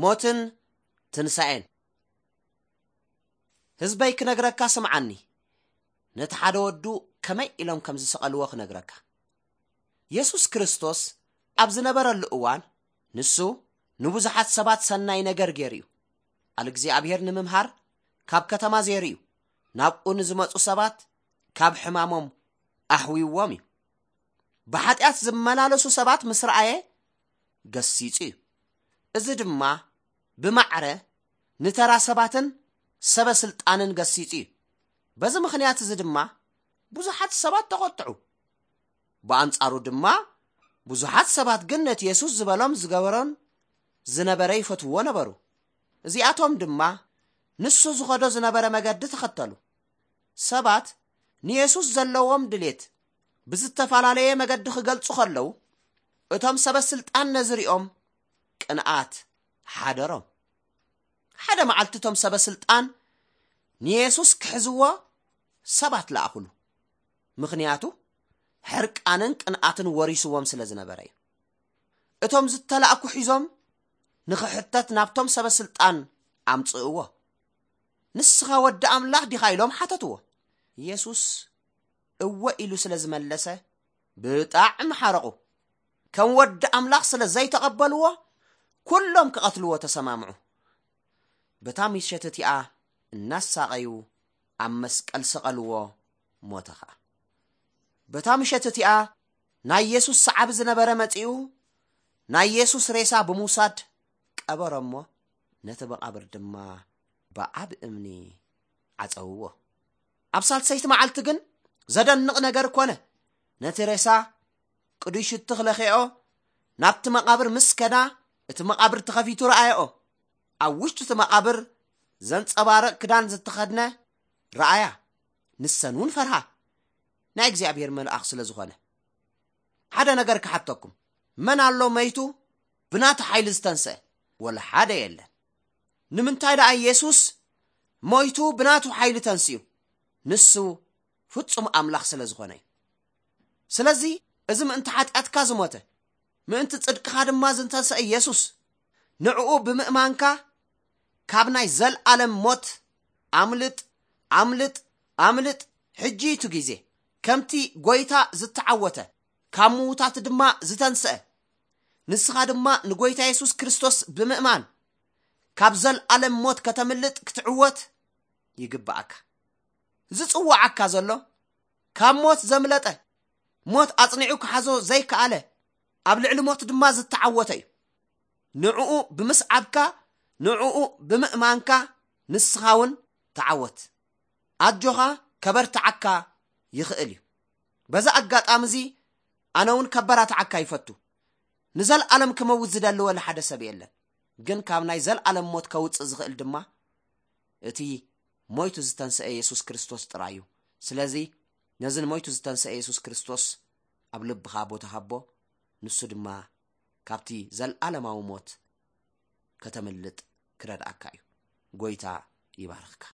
ሞትን ትንሳኤን። ህዝበይ ክነግረካ ስምዓኒ፣ ነቲ ሓደ ወዱ ከመይ ኢሎም ከም ዝሰቐልዎ ክነግረካ። የሱስ ክርስቶስ ኣብ ዝነበረሉ እዋን፣ ንሱ ንብዙሓት ሰባት ሰናይ ነገር ገይሩ እዩ። ቃል እግዚኣብሔር ንምምሃር ካብ ከተማ ዘይሩ እዩ። ናብኡ ንዝመጹ ሰባት ካብ ሕማሞም ኣሕዊዎም እዩ። ብሓጢኣት ዝመላለሱ ሰባት ምስ ረኣየ ገሲጹ እዩ። እዚ ድማ ብማዕረ ንተራ ሰባትን ሰበ ስልጣንን ገሲጹ እዩ። በዚ ምኽንያት እዚ ድማ ብዙሓት ሰባት ተቖጥዑ። ብኣንጻሩ ድማ ብዙሓት ሰባት ግን ነቲ የሱስ ዝበሎም ዝገበሮን ዝነበረ ይፈትውዎ ነበሩ። እዚኣቶም ድማ ንሱ ዝኸዶ ዝነበረ መገዲ ተኸተሉ። ሰባት ንየሱስ ዘለዎም ድሌት ብዝተፈላለየ መገዲ ክገልጹ ከለዉ፣ እቶም ሰበ ስልጣን ነዚ ሪኦም ቅንኣት ሓደሮም። ሓደ መዓልቲ እቶም ሰበ ስልጣን ንየሱስ ክሕዝዎ ሰባት ለኣኹሉ። ምኽንያቱ ሕርቃንን ቅንኣትን ወሪስዎም ስለ ዝነበረ እዩ። እቶም ዝተላእኩ ሒዞም ንኽሕተት ናብቶም ሰበ ስልጣን ኣምጽእዎ። "ንስኻ ወዲ ኣምላኽ ዲኻ?" ኢሎም ሓተትዎ። የሱስ እወ ኢሉ ስለ ዝመለሰ ብጣዕሚ ሓረቑ። ከም ወዲ ኣምላኽ ስለ ዘይተቐበልዎ ኩሎም ክቐትልዎ ተሰማምዑ። በታ ምሸት እቲኣ እናሳቐዩ ኣብ መስቀል ሰቐልዎ፣ ሞተ ኸኣ። በታ ምሸት እቲኣ ናይ የሱስ ሰዓቢ ዝነበረ መጺኡ ናይ የሱስ ሬሳ ብምውሳድ ቀበሮ እሞ ነቲ መቓብር ድማ ብዓቢ እምኒ ዓጸውዎ። ኣብ ሳልሰይቲ መዓልቲ ግን ዘደንቕ ነገር ኮነ። ነቲ ሬሳ ቅዱይ ሽቱ ክለኽዮ ናብቲ መቓብር ምስ ከዳ እቲ መቓብር ተኸፊቱ ረኣየኦ። ኣብ ውሽጢ እቲ መቓብር ዘንጸባርቕ ክዳን ዝተኸድነ ረኣያ። ንሰን እውን ፈርሃ፣ ናይ እግዚኣብሔር መልኣኽ ስለ ዝኾነ። ሓደ ነገር ክሓተኩም፣ መን ኣሎ መይቱ ብናቱ ሓይሊ ዝተንስአ? ወላ ሓደ የለን። ንምንታይ ደኣ የሱስ ሞይቱ ብናቱ ሓይሊ ተንስኡ? ንሱ ፍጹም ኣምላኽ ስለ ዝኾነ እዩ። ስለዚ እዚ ምእንቲ ሓጢኣትካ ዝሞተ፣ ምእንቲ ጽድቅኻ ድማ ዝተንስአ የሱስ፣ ንዕኡ ብምእማንካ ካብ ናይ ዘልኣለም ሞት ኣምልጥ፣ ኣምልጥ፣ ኣምልጥ። ሕጂ እዩ እቲ ግዜ። ከምቲ ጎይታ ዝተዓወተ፣ ካብ ምዉታት ድማ ዝተንስአ፣ ንስኻ ድማ ንጎይታ የሱስ ክርስቶስ ብምእማን ካብ ዘልኣለም ሞት ከተምልጥ ክትዕወት ይግብኣካ። ዝጽውዓካ ዘሎ ካብ ሞት ዘምለጠ፣ ሞት ኣጽኒዑ ክሓዞ ዘይከኣለ፣ ኣብ ልዕሊ ሞት ድማ ዝተዓወተ እዩ። ንዕኡ ብምስዓብካ፣ ንዕኡ ብምእማንካ ንስኻ እውን ተዓወት። ኣጆኻ፣ ከበርትዓካ ይኽእል እዩ። በዚ ኣጋጣሚ እዚ ኣነ እውን ከበራትዓካ ይፈቱ። ንዘልኣለም ክመውት ዝደሊ ወላ ሓደ ሰብ የለን። ግን ካብ ናይ ዘልኣለም ሞት ከውጽእ ዝኽእል ድማ እቲ ሞይቱ ዝተንስአ የሱስ ክርስቶስ ጥራይ እዩ። ስለዚ ነዚ ንሞይቱ ዝተንስአ የሱስ ክርስቶስ ኣብ ልብኻ ቦታ ሃቦ፣ ንሱ ድማ ካብቲ ዘልኣለማዊ ሞት ከተምልጥ ክረድኣካ እዩ። ጎይታ ይባርኽካ።